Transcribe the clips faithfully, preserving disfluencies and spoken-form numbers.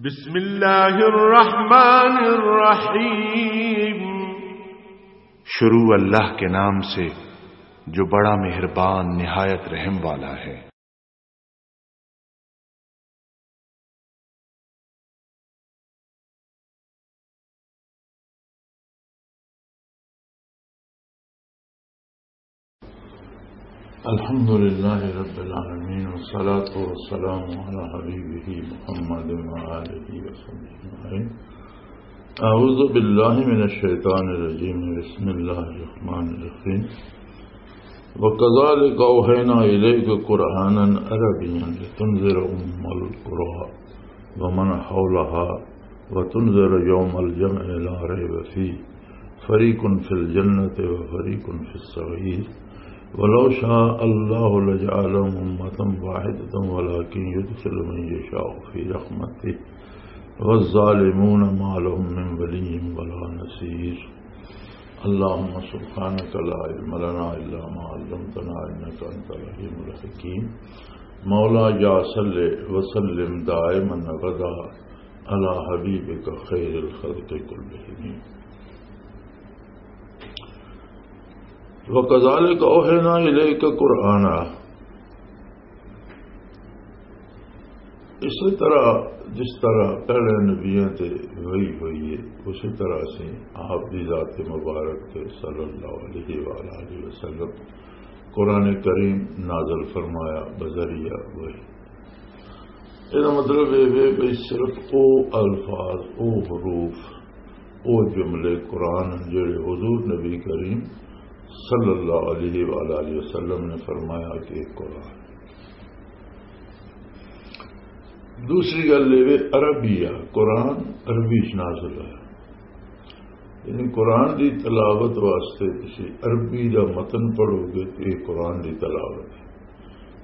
بسم اللہ الرحمن الرحیم۔ شروع اللہ کے نام سے جو بڑا مہربان نہایت رحم والا ہے۔ الحمد لله رب العالمين، والصلاة والسلام على حبيبه محمد وآله وصحبه أجمعين. أعوذ بالله من الشيطان الرجيم. بسم الله الرحمن الرحيم. وكذلك أوحينا إليك قرآنا عربيا لتنذر أم القرى ومن حولها وتنذر يوم الجمع لا ريب فيه فريق في الجنة وفريق في السعير ولو شاء الله لجعلهم أمة واحدة ولكن يدخل من يشاء في رحمته والظالمون ما لهم من ولي ولا نصير. اللهم سبحانك لا علم لنا إلا ما علمتنا إنك أنت العليم الحكيم. مولاي صل وسلم دائما أبدا على حبيبك خير الخلق كلهم. وكذلك أوحينا إليك قرآنا، اسی طرح جس طرح پہلے نبیاں تے وحی ہوئی ہے، اسی طرح اسی آپ دی ذات مبارک تے صلی اللہ علیہ وآلہ وسلم قرآن کریم نازل فرمایا بذریعہ وحی۔ یہ مطلب یہ ہے کہ صرف او الفاظ، او حروف، او جملے قرآن جڑے حضور نبی کریم صلی اللہ علیہ وآلہ وسلم نے فرمایا کہ قرآن۔ دوسری گل یہ، عربی آ، قرآن عربی چ نازل ہوا۔ یعنی قرآن دی تلاوت واسطے تسی عربی دا متن پڑھو گے تو یہ قرآن دی تلاوت ہے۔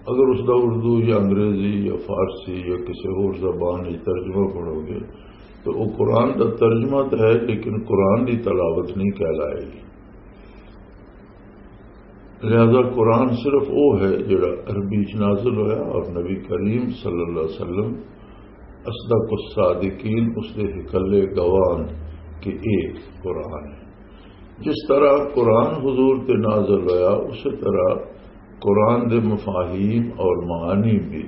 اگر اس دا اردو یا انگریزی یا فارسی یا کسی اور زبان وچ ترجمہ پڑھو گے تو وہ قرآن دا ترجمہ تو ہے، لیکن قرآن دی تلاوت نہیں کہلائے گی۔ لہذا قرآن صرف وہ ہے جڑا عربی چ نازل ہویا اور نبی کریم صلی اللہ علیہ وسلم اصدق الصادقین، اس دے ہکلے گواہ کہ ایک قرآن ہے۔ جس طرح قرآن حضور تے نازل ہویا، اسی طرح قرآن دے مفاہیم اور معانی بھی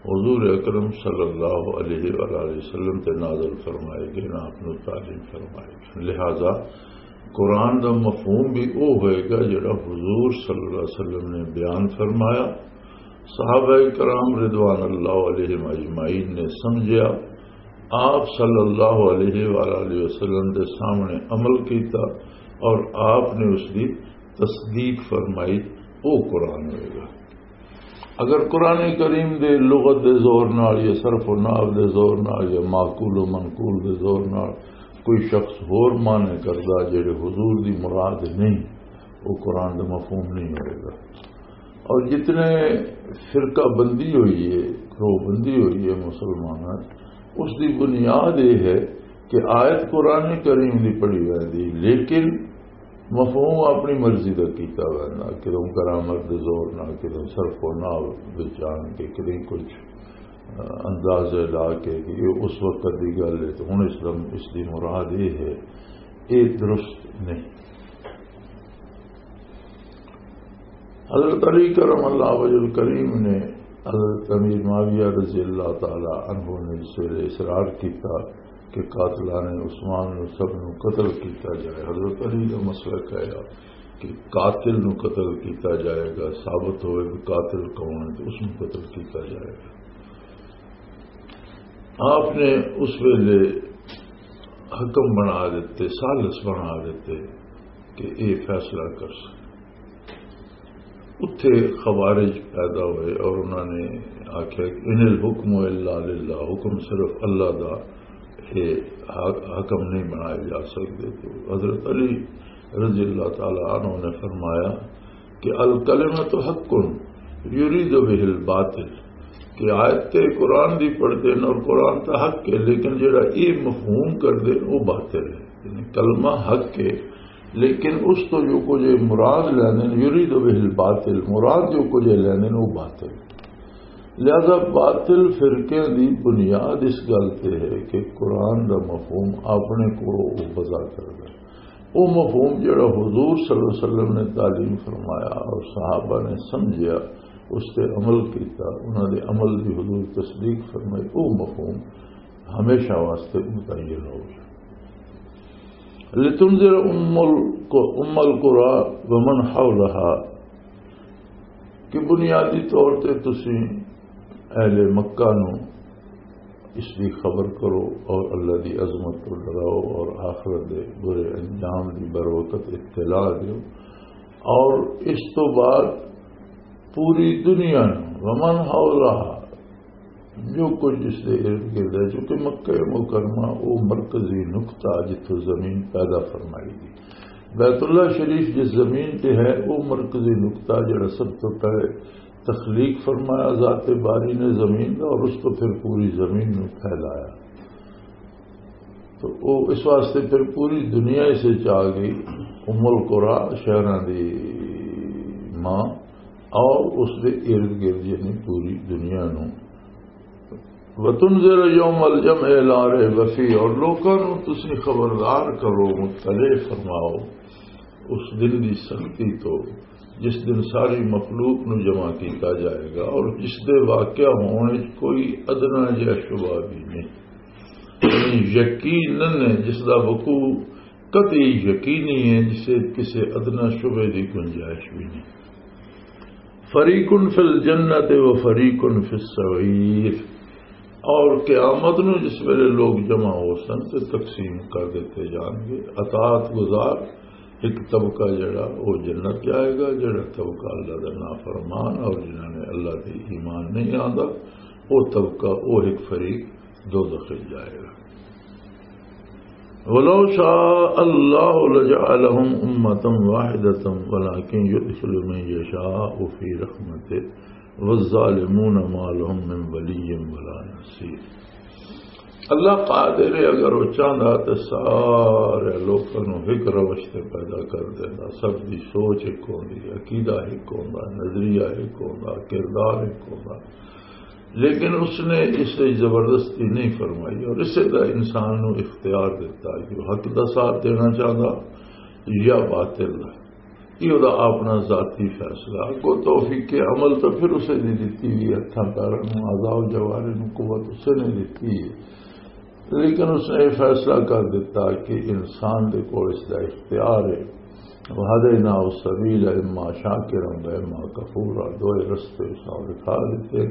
حضور اکرم صلی اللہ علیہ وآلہ وسلم تے نازل فرمائے گئے، نہ آپ نو تعلیم فرمائے گئے۔ لہذا قرآن دا مفہوم بھی وہ ہوئے گا جڑا حضور صلی اللہ علیہ وسلم نے بیان فرمایا، صحابہ کرام رضوان اللہ علیہم اجمعین نے سمجھیا، آپ صلی اللہ علیہ وآلہ وسلم دے سامنے عمل کیتا اور آپ نے اس دی تصدیق فرمائی، وہ قرآن ہوئے گا۔ اگر قرآن کریم دے لغت دے زور نال یا صرف و نحو دے زور نال یا معقول و منقول دے زور نال کوئی شخص ہور معنی کردا جڑے حضور دی مراد نہیں، وہ قرآن دا مفہوم نہیں ہوئے گا۔ اور جتنے فرقہ بندی ہوئی ہے، گروہ بندی ہوئی ہے مسلمانوں، اس دی بنیاد یہ ہے کہ آیت قرآن کریم دی پڑھی ویندی، لیکن مفہوم اپنی مرضی دا کیتا ویندا، کدوں گرامر دے زور نال، کدوں صرف و نحو وچ آن کے، کدیں کچھ، آ، اندازے لا کے کہ یہ اس وقت دی گل ہے تو ہن اس دا، اس دی مراد یہ ہے، یہ درست نہیں۔ حضرت علی کرم اللہ وجہ الکریم نے حضرت امیر معاویہ رضی اللہ تعالی عنہ نے اس ویلے اصرار کیتا کہ قاتلان عثمان نو سب نو قتل کیتا جائے۔ حضرت علی دا مسئلہ کہا کہ قاتل نو قتل کیتا جائے گا، ثابت ہوئے کہ قاتل کون ہے تو اس نو قتل کیتا جائے گا۔ آپ نے اس ویلے حکم بنا دیتے، ثالث بنا دیتے کہ یہ فیصلہ کر سکے۔ اتھے خوارج پیدا ہوئے اور انہوں نے آکھیا کہ ان الحکم الا للہ، حکم صرف اللہ دا ہے، حا-، حکم نہیں بنائے جا سکتے۔ تو حضرت علی رضی اللہ تعالی عنہ نے فرمایا کہ الکلمۃ حق یرید بہ الباطل، کہ آیت تے قرآن دی پڑھتے ہیں اور قرآن تا حق ہے، لیکن جڑا یہ مفہوم کر دے وہ باطل ہے۔ یعنی کلمہ حق ہے، لیکن اس تو جو کچھ یہ مراد لینے، یرید بہ الباطل، مراد جو کچھ یہ لینے وہ باطل۔ لہذا باطل فرقیاں دی بنیاد اس گل تے ہے کہ قرآن دا مفہوم اپنے کولوں او وضع کردا ہے۔ او مفہوم جڑا حضور صلی اللہ علیہ وسلم نے تعلیم فرمایا اور صحابہ نے سمجھیا، اس تے عمل کیتا، انہاں دے عمل دی حضور تصدیق فرمائی، او مفہوم ہمیشہ واسطے متعین ہو گیا۔ لتنذر ام ال-، ام القری ومن حولها، کہ بنیادی طور تے تسی اہل مکہ نو اس دی خبر کرو اور اللہ دی عظمت کو ڈراؤ اور آخرت دے برے انجام دی بروقت اطلاع دیو، اور اس تو بعد پوری دنیا نو، ومن حولها، جو کچھ اس دے ارد گرد ہے، چونکہ مکہ مکرمہ وہ مرکزی نقطہ جتھوں زمین پیدا فرمائی گئی۔ بیت اللہ شریف جس زمین تے ہے، وہ مرکزی نقطہ جڑا سب تو پہلے تخلیق فرمایا ذات باری نے زمین کا، اور اس کو پھر پوری زمین میں پھیلایا۔ تو وہ اس واسطے پھر پوری دنیا اسے چاہ گئی، ام القریٰ، شہراں دی ماں، اور اس دے ارد گرد یعنی پوری دنیا نو۔ وتنذر یوم الجمع لا ریب فیہ، اور لوکاں نو تسی خبردار کرو، مطلع فرماؤ اس دن دی سختی تو، جس دن ساری مخلوق نو جمع کیتا جائے گا اور جس دے واقعہ ہون وچ کوئی ادنا جہا شبہ بھی نہیں۔ یعنی یقیناً ہے، جس دا وقوع قطعی یقینی ہے، جسے کسے ادنا شبہ دی گنجائش بھی نہیں۔ فریق فی الجنت و فریق فی السعیر۔ اور قیامت نو جس ویلے لوگ جمع ہو سن تے تقسیم کر دیتے جان گے۔ اطاعت گزار ایک طبقہ جڑا، وہ جنت جائے گا، جڑا طبقہ اللہ دا نافرمان اور جنہاں نے اللہ تے ایمان نہیں آندا، وہ طبقہ، وہ ایک فریق دوزخ وچ جائے گا۔ ولو شاء اللہ لجعلهم امة واحدة ولكن يدخل من يشاء في رحمته والظالمون ما لهم من ولي ولا نصير۔ اللہ قادر ہے، اگر وہ چاہندا تے سارے لوکاں نوں ایک روش تے پیدا کر دیندا، سب دی سوچ ایک ہوندی، عقیدہ ایک ہوندا، نظریہ ایک ہوندا، کردار ایک ہوندا۔ لیکن اس نے اس وچ زبردستی نہیں فرمائی اور اسے دا انسان نوں اختیار دتا کہ وہ حق دا ساتھ دینا چاہندا یا باطل دا۔ یہ دا اپنا ذاتی فیصلہ۔ اگوں توفیق عمل تو پھر اسے دی دتی ہوئی، ہتھاں پیراں نوں، اعضاء و جوارح نوں قوت اسے نے دتی ہے۔ لیکن اس نے یہ فیصلہ کر دیتا کہ انسان دے کول اس دا اختیار ہے۔ وَهَدَيْنَاهُ السَّبِيلَ إِمَّا شَاكِرًا وَإِمَّا كَفُورًا، دوئے رستے اس نے دکھا دیتے۔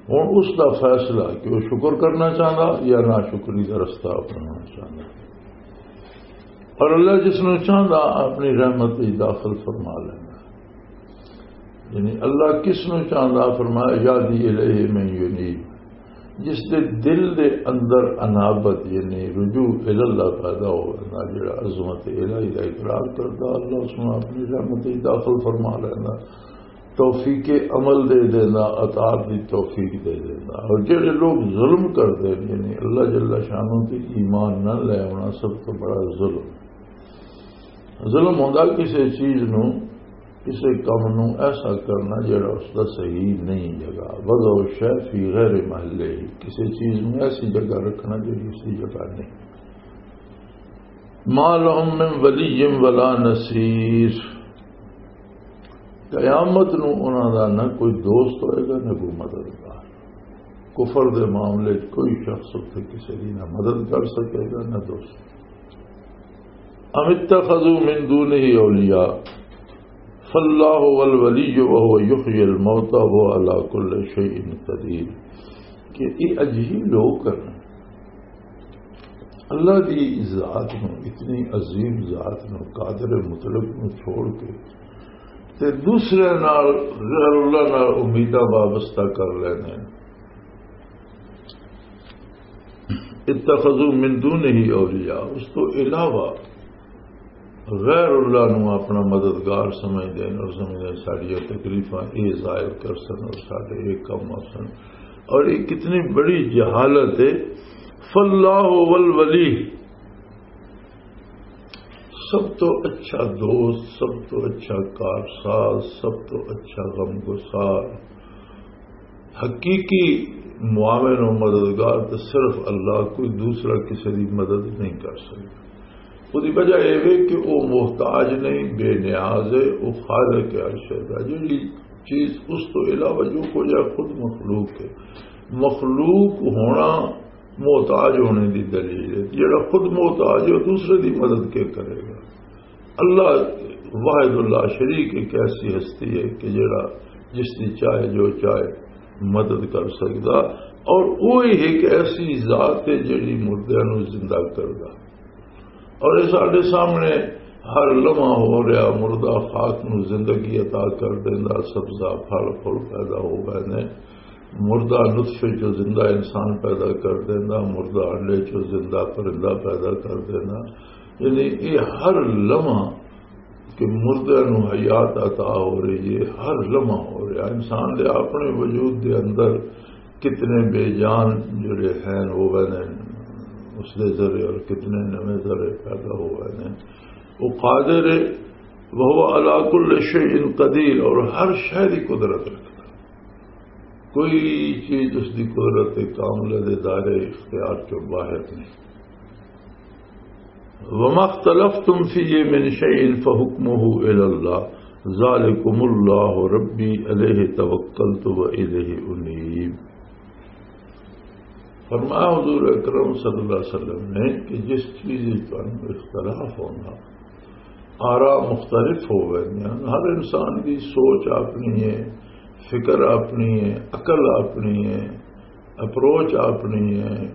ہن اس دا فیصلہ کہ وہ شکر کرنا چاہندا یا ناشکری دا رستہ اپنانا چاہندا۔ اور اللہ جس نوں چاہندا اپنی رحمت وچ داخل فرما لیندا۔ یعنی اللہ کس نوں چاہندا، فرمایا، یہدی الیہ من ینیب، جس دے دل دے اندر انابت یعنی رجوع الی اللہ پیدا ہو ویندا، جڑا عظمت الہی دا اقرار کردا، اللہ اس نوں اپنی رحمت وچ داخل فرما لیندا، توفیق عمل دے دیندا، اطاعت دی توفیق دے دیندا۔ اور جڑے لوگ ظلم کردے نے، یعنی اللہ جل شانہ تے ایمان نہ لے آنا، سب تو بڑا ظلم۔ ظلم ہوندا کسے چیز نوں، کسے کم نوں ایسا کرنا جڑا اس دا صحیح نہیں جگہ، وضع الشیء فی غیر محلہ، کسے چیز نوں ایسی جگہ رکھنا جڑی اس دی جگہ نہیں۔ ما لهم من ولی ولا نصیر، قیامت نوں انہاں دا نہ کوئی دوست ہوئے گا، نہ کوئی مددگار۔ کفر دے معاملے وچ کوئی شخص اتھے کسے دی نہ مدد کر سکے گا، نہ دوست۔ ام اتخذوا من دونہ اولیاء فاللہ هو الولی وهو یحیی الموتى وهو علی کل شیء قدیر۔ کہ یہ عجیب لوگ ہیں، اللہ دی ذات نو، اتنی عظیم ذات نو، قادر مطلق نو چھوڑ کے تے دوسرے نال، غیر اللہ نال امیداں وابستہ کر لینے۔ اتخذوا من دونہ اولیاء، اس تو علاوہ غیر اللہ نو اپنا مددگار سمجھدے نے اور سمجھدے نے ساڈیاں تکلیفاں اے ظاہر کر سن اور ساڈے اے کم آ سن، اور یہ کتنی بڑی جہالت ہے۔ فاللہ هو الولی، سب تو اچھا دوست، سب تو اچھا کارساز، سب تو اچھا غم گسار، حقیقی معاون و مددگار تو صرف اللہ، کوئی دوسرا کسی دی مدد نہیں کر سکتا۔ وہدی وجہ یہ وے کہ وہ محتاج نہیں، بے نیاز ہے، وہ خالق ہے ہر شے دا۔ جڑی چیز اس تو علاوہ جو کچھ ہے، خود مخلوق ہے۔ مخلوق ہونا محتاج ہونے دی دلیل ہے۔ جڑا خود محتاج ہے، وہ دوسرے دی مدد کے کرے گا؟ اللہ واحد اللہ شریک ایک ایسی ہستی ہے کہ جڑا جس دی چاہے جو چاہے مدد کر سکدا، اور وہی ایک ایسی ذات ہے جڑی مردیاں نوں زندہ کردا۔ اور یہ ساڈے سامنے ہر لمحہ ہو رہا، مردہ خاک نوں زندگی عطا کر دیندا، سبزہ پھل پھل پیدا ہو گئے نے، مردہ نطفے چوں زندہ انسان پیدا کر دیندا، مردہ انڈے چوں زندہ پرندہ پیدا کر دیندا۔ یعنی یہ ہر لمحہ کہ مردے نوں حیات عطا ہو رہی ہے، ہر لمحہ ہو رہا۔ انسان دے اپنے وجود دے اندر کتنے بے جان جڑے ہیں وہ نے اس دے ذرے، اور کتنے نویں ذرے پیدا ہو گئے نے۔ وہ قادر ہے، وهو على كل شيء قدير، اور ہر شے دی قدرت رکھتا۔ کوئی چیز اس دی قدرت کاملہ دے دائرے اختیار چوں باہر نہیں۔ وما اختلفتم فيه من شيء فحكمه إلى الله، ذلكم الله ربي عليه توكلت وإليه أنيب۔ فرمایا حضور اکرم صلی اللہ علیہ وسلم نے کہ جس چیز وچ تانوں اختلاف ہونا، آراء مختلف ہو گئے ہیں، ہر انسان دی سوچ اپنی ہے، فکر اپنی ہے، عقل اپنی ہے، اپروچ اپنی ہے،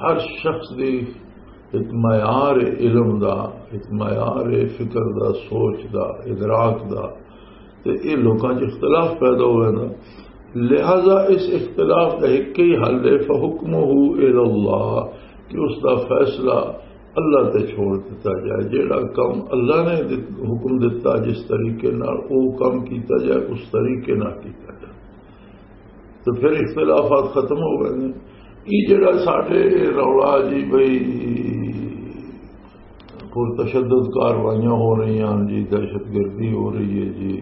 ہر شخص دی ایک معیار علم دا، ایک معیار فکر دا، سوچ دا، ادراک دا، تے یہ لوکاں چ اختلاف پیدا ہوئے نا۔ لہذا اس اختلاف دا ایک ہی حل ہے، فحکمہ الی اللہ، کہ اس دا فیصلہ اللہ تے چھوڑ دیتا جائے۔ جیڑا کم اللہ نے دت- حکم دیتا، جس طریقے نال وہ کم کیتا جائے، اس طریقے نال کیتا جائے، تو پھر اختلافات ختم ہو گئے نے۔ یہ جڑا ساڈے رولا جی بھئی، پر تشدد کاروائیاں ہو رہی ہیں جی، دہشت گردی ہو رہی ہے جی،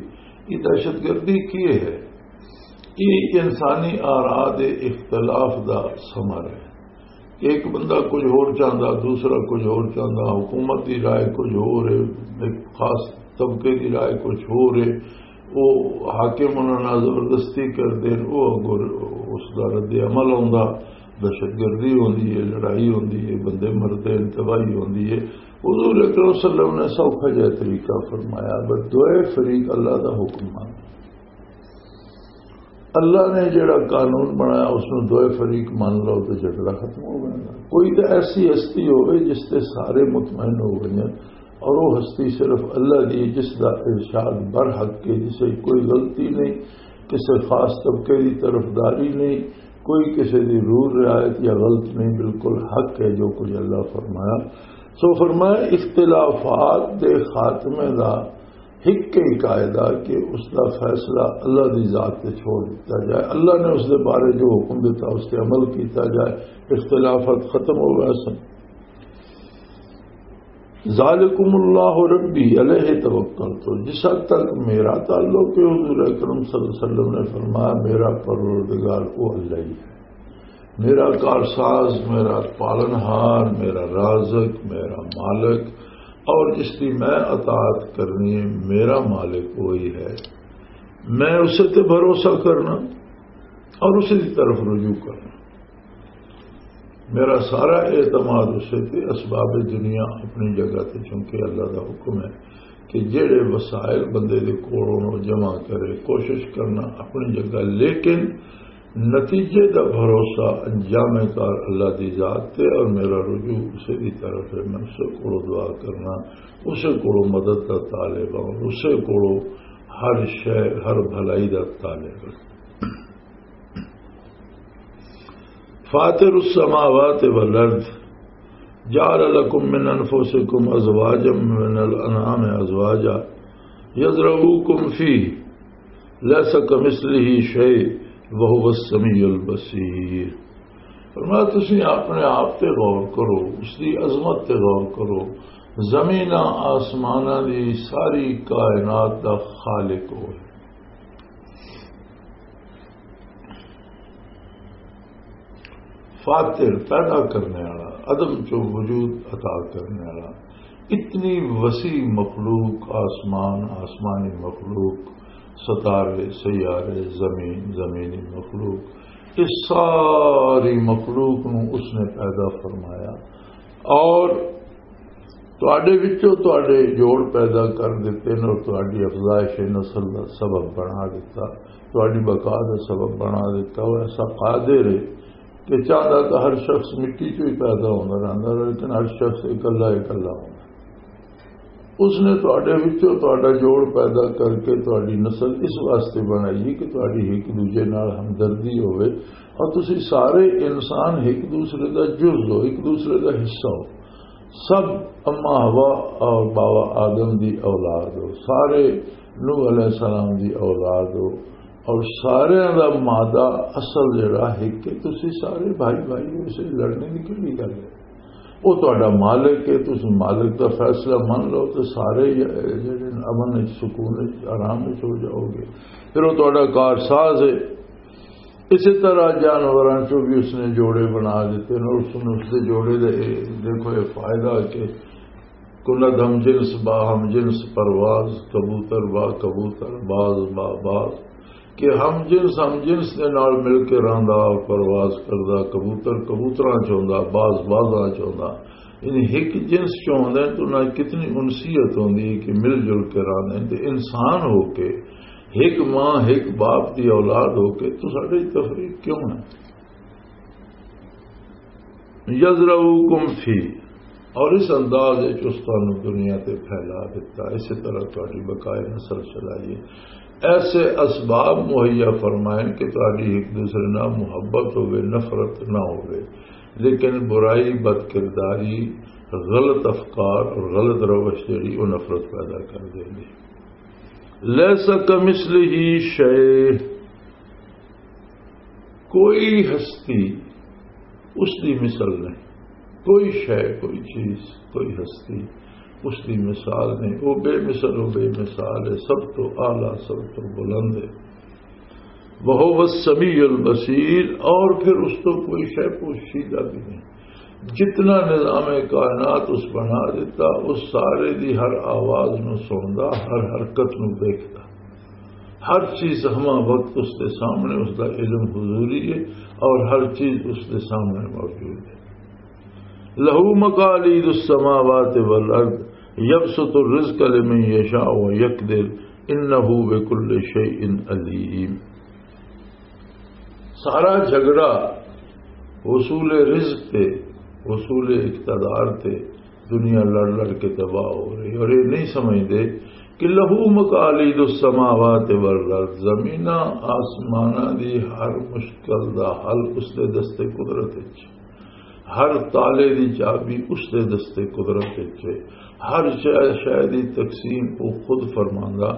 یہ دہشت گردی کی ہے؟ یہ انسانی آراء دے اختلاف دا ثمر ہے۔ ایک بندہ کچھ ہور چاہندا، دوسرا کچھ ہور چاہندا، حکومت دی رائے کچھ ہور ہے، ایک خاص طبقے دی رائے کچھ ہور ہے۔ وہ حاکم انہاں نال زبردستی کردے نے، وہ اگوں اس دا رد عمل آوندا، دہشت گردی ہوندی ہے، لڑائی ہوندی ہے، بندے مردے نے، تباہی ہوندی ہے۔ حضور اکرم صلی اللہ علیہ وسلم نے سوکھا جہا طریقہ فرمایا، بس دوئے فریق اللہ دا حکم مان۔ اللہ نے جڑا قانون بنایا، اس نوں دوئے فریق مان لو تو جھگڑا ختم ہو گیا۔ کوئی تو ایسی ہستی ہوئے جس تے سارے مطمئن ہو گئے ہیں، اور وہ ہستی صرف اللہ دی، جس دا ارشاد برحق ہے، جسے کوئی غلطی نہیں، کسی خاص طبقے دی طرفداری نہیں، کوئی کسی دی رور رعایت یا غلط نہیں، بالکل حق ہے جو کچھ اللہ فرمایا۔ سو فرمایا، اختلافات دے خاتمے دا ایک ہی قاعدہ کہ اس دا فیصلہ اللہ دی ذات تے چھوڑ دتا جائے۔ اللہ نے اس دے بارے جو حکم دیتا، اس تے عمل کیتا جائے۔ اختلافات ختم ہو گئے سن۔ ذالکم اللہ ربی علیہ توکلت، تو جس حد تک میرا تعلق ہے، حضور اکرم صلی اللہ علیہ وسلم نے فرمایا، میرا پروردگار وہ اللہ ہی ہے، میرا کارساز، میرا پالنہار، میرا رازق، میرا مالک، اور جس کی میں اطاعت کرنی ہے، میرا مالک وہی ہے۔ میں اسے تے بھروسہ کرنا اور اسے دی طرف رجوع کرنا۔ میرا سارا اعتماد اسے تے، اسباب دنیا اپنی جگہ تے، چونکہ اللہ دا حکم ہے کہ جڑے وسائل بندے دے کول ہون، او جمع کرے، کوشش کرنا اپنی جگہ، لیکن نتیجے دا بھروسہ انجام کار اللہ دی ذات تے، اور میرا رجوع اسے دی طرف ہے۔ میں اسے کولوں دعا کرنا، اسے کولوں مدد دا طالب ہاں، اسے کولوں ہر شے، ہر بھلائی دا طالب ہاں۔ فاطر السماوات والارض، جعل لكم من انفسكم ازواجا، من الانعام ازواجا، يذرؤكم فيه، ليس كمثله شيء، وهو السميع البصير۔ فرمایا، تسی اپنے آپ تے غور کرو، اس دی عظمت تے غور کرو۔ زمیناں آسماناں دی ساری کائنات دا خالق ہوئے۔ فاتر، پیدا کرنے والا، عدم چو وجود عطا کرنے والا۔ اتنی وسیع مخلوق، آسمان، آسمانی مخلوق، ستارے، سیارے، زمین، زمینی مخلوق، اس ساری مخلوق نو اس نے پیدا فرمایا۔ اور تواڈے وچوں تواڈے جوڑ پیدا کر دتے نے اور تواڈی افزائش نسل دا سبب بنا دتا، تواڈی بقا دا سبب بنا دتا۔ وہ ایسا قادر ہے کہ چاہندا تو ہر شخص مٹی چوں ہی پیدا ہوندا رہندا، لیکن ہر شخص اکلا اکلا ہوندا۔ اس نے تواڈے وچوں تواڈا جوڑ پیدا کر کے تواڈی نسل اس واسطے بنائی ہے کہ تواڈی ایک دوجے نال ہمدردی ہوئے اور تسی سارے انسان ایک دوسرے دا جز ہو، ایک دوسرے دا حصہ ہو۔ سب اما حوا اور بابا آدم دی اولاد ہو، سارے نوح علیہ السلام دی اولاد ہو، اور سارے دا مادہ اصل جڑا ہے کہ تسی سارے بھائی بھائی ہو، اسے لڑنے کی کہڑی گل ہے؟ وہ تہاڈا مالک ہے، تسی مالک دا فیصلہ من لو تو سارے جڑے امن وچ، سکون وچ، آرام وچ ہو جاؤ گے۔ پھر وہ تہاڈا کارساز ہے۔ اسی طرح جانوراں چوں بھی اس نے جوڑے بنا دیتے ہیں اور اس نے اس دے جوڑے دے، دیکھو یہ فائدہ کہ کند ہم جنس با ہم جنس پرواز، کبوتر با کبوتر، باز با باز، کہ ہم جنس ہم جنس دے نال مل کے رہندا اور پرواز کردا، کبوتر کبوتراں چ ہوندا، باز بازاں چ ہوندا۔ یعنی ایک جنس چ ہوندے ہیں تو نہ کتنی انسیت ہوندی ہے کہ مل جل کے رہندے ہیں۔ تے انسان ہو کے ایک ماں ایک باپ دی اولاد ہو کے تو ساڈے تفریق کیوں ہے؟ یزرعوکم فی، اور اس انداز وچ اس تانوں دنیا تے پھیلا دتا، اسی طرح تہاڈی بقائے نسل چلائی ہے۔ ایسے اسباب مہیا فرمائن کہ تہاڈی ایک دوسرے نال محبت ہوے، نفرت نہ ہوے، لیکن برائی، بد کرداری، غلط افکار اور غلط روش جڑی، وہ نفرت پیدا کر دے گی۔ لیس کمثلہ شیء، کوئی ہستی اس دی مثل نہیں، کوئی شے، کوئی چیز، کوئی ہستی اس دی مثال نہیں۔ وہ بے مثل، وہ بے مثال ہے، سب تو اعلیٰ، سب تو بلند ہے۔ وہو السمیع البصیر، اور پھر اس تو کوئی شے پوشیدہ بھی نہیں۔ جتنا نظام کائنات اس بنا دیتا، اس سارے دی ہر آواز نو سندا، ہر حرکت نو دیکھدا۔ ہر چیز ہما وقت اس دے سامنے، اس دا علم حضوری ہے اور ہر چیز اس دے سامنے موجود ہے۔ لہو مقالید السماوات والارض یبسط الرزق لمن یشاء ویقدر انہ بکل شیء علیم۔ سارا جھگڑا وصول رزق تے، وصول اقتدار تے، دنیا لڑ لڑ کے تباہ ہو رہی اور یہ نہیں سمجھتے کہ لہو مقالید السماوات والارض، زمیناں آسماناں دی ہر مشکل دا حل اس دے دستے قدرت وچ، ہر تالے دی چابی اس دے دستے قدرت وچ ہے، ہر شے شے دی تقسیم وہ خود فرماندا،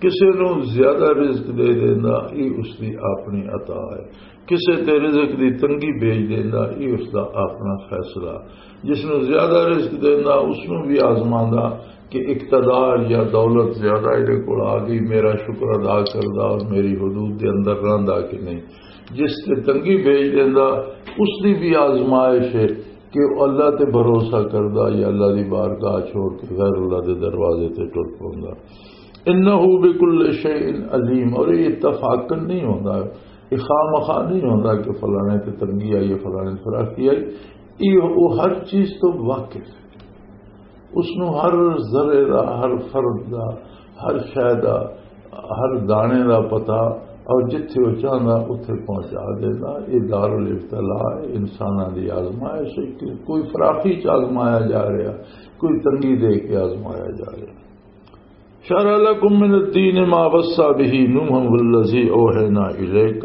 کسے نوں زیادہ رزق دے دیندا، یہ اس دی اپنی عطا ہے۔ کسے تے رزق دی تنگی بھیج دیندا، یہ اس دا اپنا فیصلہ۔ جس نوں زیادہ رزق دیندا، اس نوں بھی آزماندا کہ اقتدار یا دولت زیادہ ایدے کول آ گئی، میرا شکر ادا کردا اور میری حدود دے اندر رہندا کہ نہیں۔ جس تے تنگی بھیج دیندا، اس دی بھی آزمائش ہے کہ وہ اللہ تے بھروسہ کردا یا اللہ دی بارگاہ چھوڑ کے غیر اللہ دے دروازے تے ٹر پوندا۔ انہ بکل شیء علیم، اور یہ اتفاقاً نہیں ہوندا، یہ خواہ مخواہ نہیں ہوندا کہ فلانے تے تنگی آئی ہے، فلانے تے فراخی آئی۔ یہ وہ ہر چیز تو واقف ہے، اس نو ہر ذرے دا، ہر فرد دا، ہر شے دا، ہر دانے دا پتہ، اور جتھے وہ چاہندا اتھے پہنچا دیندا۔ یہ دار الابتلاء ہے، انساناں دی آزمائش ہے کہ کوئی فراخی چ آزمایا جا رہا، کوئی تنگی دے کے آزمایا جا رہا۔ شرع لكم من الدين ما وصى به نوحا والذي أوحينا إليك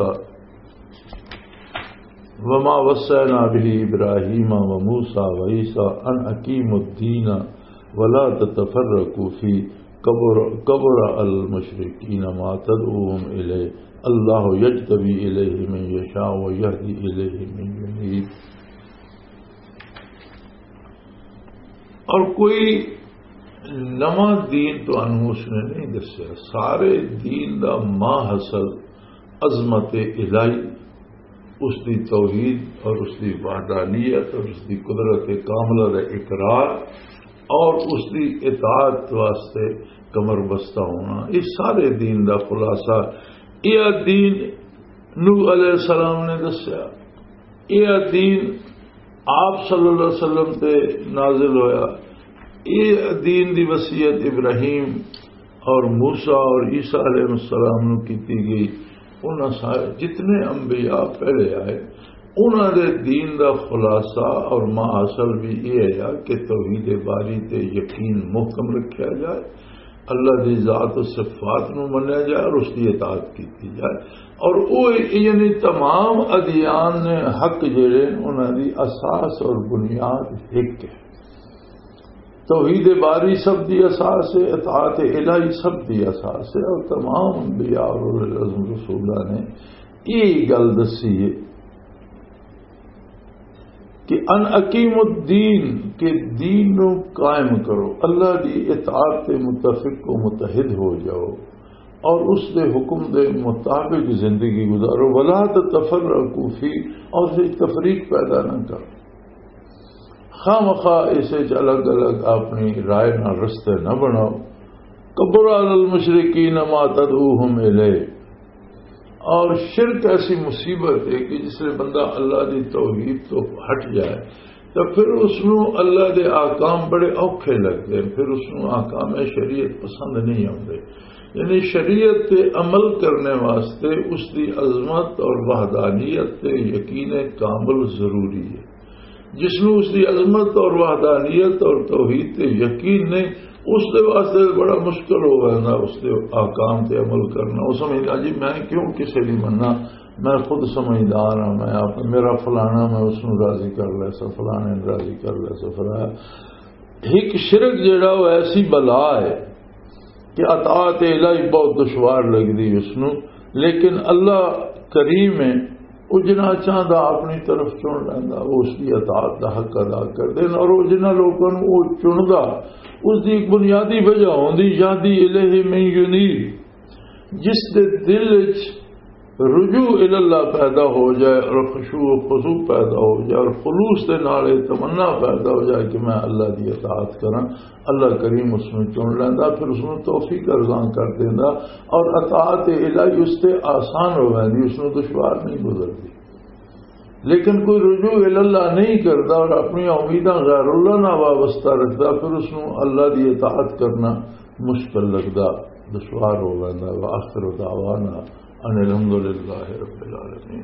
وما وصينا به إبراهيم وموسى وعيسى أن أقيموا الدين ولا تتفرقوا فيه كبر، كبر على المشركين ما تدعوهم إليه الله يجتبي إليه من يشاء ويهدي إليه من ينيب۔ اور کوئی نواں دین تانوں اس نے نہیں دسیا۔ سارے دین دا ماں حاصل عظمت الہی، اس دی توحید اور اس دی وحدانیت اور اس دی قدرت کاملہ دا اقرار اور اس دی اطاعت واسطے کمر بستہ ہونا، یہ سارے دین دا خلاصہ۔ یہ دین نوح علیہ السلام نے دسیا، یہ دین آپ صلی اللہ علیہ وسلم تے نازل ہویا۔ یہ دین دی وصیت ابراہیم اور موسیٰ اور عیسیٰ علیہ السلام نو کیتی گئی۔ انہاں سارے جتنے انبیاء پہلے آئے، انہاں دے دین دا خلاصہ اور ماحصل بھی یہ ہے کہ توحید باری تے یقین محکم رکھیا جائے، اللہ دی ذات و صفات نو منیا جائے اور اس دی اطاعت کیتی جائے۔ اور وہ، یعنی تمام ادیان نے حق جڑے، انہاں دی اساس اور بنیاد ایک ہے۔ توحید باری سب دی اساس ہے، اطاعت الہی سب دی اساس ہے، اور تمام انبیاء اور اولو العزم رسولہ نے یہ گل دسی ہے کہ ان اقیم الدین، کہ دین نو قائم کرو، اللہ دی اطاعت تے متفق و متحد ہو جاؤ اور اس دے حکم دے مطابق زندگی گزارو۔ ولا تتفرقوا فی، اور اس وچ تفریق پیدا نہ کرو، خامخواہ اس وچ الگ الگ اپنی رائے نال رستے نہ بناؤ۔ کبر علی المشرکین ما تدعوہم الیہ، اور شرک ایسی مصیبت ہے کہ جس لئے بندہ اللہ دی توحید تو ہٹ جائے تو پھر اس نو اللہ دے احکام بڑے اوکھے لگدے ہیں، پھر اس نو احکام شریعت پسند نہیں آتے۔ یعنی شریعت تے عمل کرنے واسطے اس دی عظمت اور وحدانیت تے یقین کامل ضروری ہے۔ جس نو اس دی عظمت اور وحدانیت اور توحید تے یقین نہیں، اس دے واسطے بڑا مشکل ہو جاتا اس دے احکام تے عمل کرنا۔ وہ سمجھدا، "جی میں کیوں کسے دی مننا، میں خود سمجھدار ہاں، میں آپ، میرا فلانا، میں اس نو راضی کر لے سا، فلانے نو راضی کر لے سا، فلانا۔" ایک شرک جڑا وہ ایسی بلا ہے کہ اطاعت الہی بہت دشوار لگدی اس نو، لیکن اللہ کریم ہے، وہ جنہ چاہتا اپنی طرف چن لینا، وہ اس کی اطاعت دا حق ادا کر دین۔ اور وہ جنہ لوگوں نو وہ چندا، اس دی ایک بنیادی وجہ ہوندی، "یہدی الیہ من ینیب"، جس دے دل وچ رجوع الی اللہ پیدا ہو جائے اور خشوع و خضوع پیدا ہو جائے اور خلوص دے نال یہ تمنا پیدا ہو جائے کہ میں اللہ دی اطاعت کراں، اللہ کریم اس نوں چن لیندا، پھر اس نوں توفیق ارزاں کر دیندا اور اطاعت الہی اس تے آسان ہو ویندی، اس نوں دشوار نہیں گزردی۔ لیکن کوئی رجوع الی اللہ نہیں کردا اور اپنی امیداں غیر اللہ نال وابستہ رکھدا، پھر اس نوں اللہ دی اطاعت کرنا مشکل لگدا، دشوار ہو ویندا۔ وآخر دعوانا ان الحمدللہ رب العالمین۔